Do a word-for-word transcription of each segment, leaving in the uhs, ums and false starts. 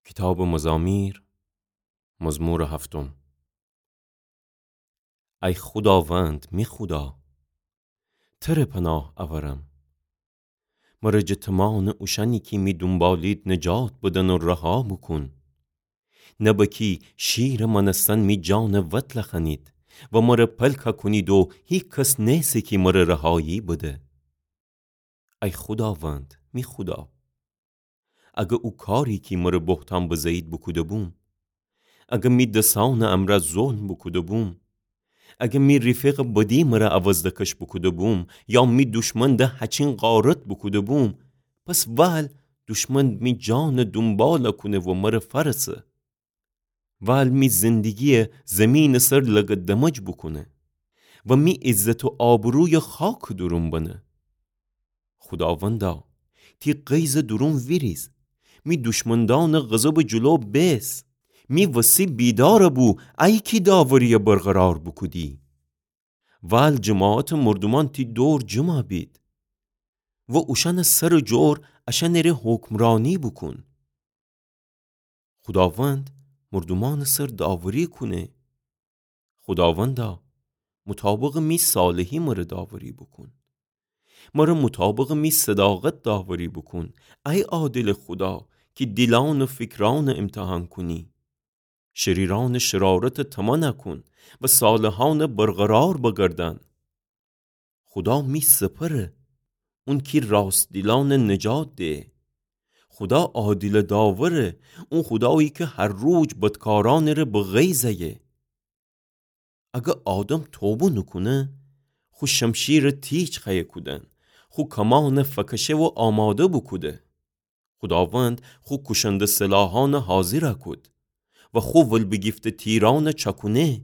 کیتابٚ مزامیر، مزمورٚ هفتم. ای خوداوند، می خودا، تره پناه اورم. مره جٚه تومانٚ اوشأنی کی می دونبالید نجات بدن و رها بوکون. نبه کی شیرٚ مأنستن می جانٚ وتله خوأنید و مره پلکه کونید و هیکس نیسه کی مره رهایی بده. ای خوداوند، می خودا، اگر او کاری کی مره بهتان بزه‌یید بوکوده‌بوم، اگر می دسأنٚ امرأ ظلم بوکوده‌بوم، اگر می ریفقٚ بدی مره عوض دکش بوکوده‌بوم، یا می دوشمن ده هچین غارت بوکوده‌بوم، پس وال دوشمن می جانٚ دونباله کونه و مره فأرسه. وال می زندگی‌یه زیمینٚ سر لگدمج بوکونه و می عزت و آبرویه خاکٚ دورون بنه. خوداوندا، تی غیظٚ دورون ویریز، می دوشمندأنٚ غضبٚ جلو بیس. می وسی بیدار بو، ای کی داوری‌یه برقرار بوکودی. وال جماعتٚ مردومأن تی دور جمع بید و اوشأنٚ سرٚ جور اشأنٚره حکمرأنی بوکون. خوداوند مردومأنٚ سر داوری کونه. خوداوندا، مطابقٚ می صالحی مره داوری بوکون. مره مطابقٚ می صداقت داوری بوکون. ای عادلٚ خودا، کی دیلأن و فیکرأنٚ ایمتحان کونی. شریرأنٚ شرارتٚ طمع نکون و صالحأنٚ برقرار بگردان. خودا می سپره، اون کی راست‌دیلأنٚ نجات ده. خودا عادلٚ داوره، اون خودایی کی هر روز بدکارأنٚره به غیظ ایه. اگر آدم توبه نوکونه، خو شمشیره تیج خوأیه کودن، خو کمأنه فکشه و آماده بوکوده. خوداوند خو کوشنده سلاحأنه حاضر کود و خو ول‌بیگیفته تیرأنه چکونه.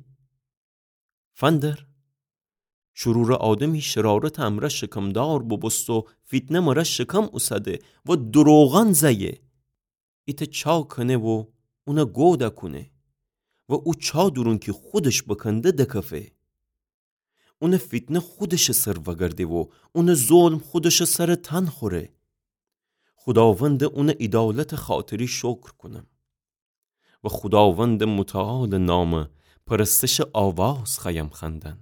فندر، شرورٚ آدمی شرارتٚ امرأ شکمدار بوبوسته و فیتنه مره شکم اوسده و دروغأن زأیه. ایتأ چا کنه و اونه گو دکونه و او چا دورون کی خودش بکنده دکفه. اونٚ فیتنه خودشٚ سر وگرده و اونٚ ظلم خودشٚ سرٚ تن خوره. خوداوندٚ اونٚ عیدالتٚ خاطری شکر کونم و خوداوندٚ متعالٚ نامٚ پرستشٚ آواز خوأیم خوأندن.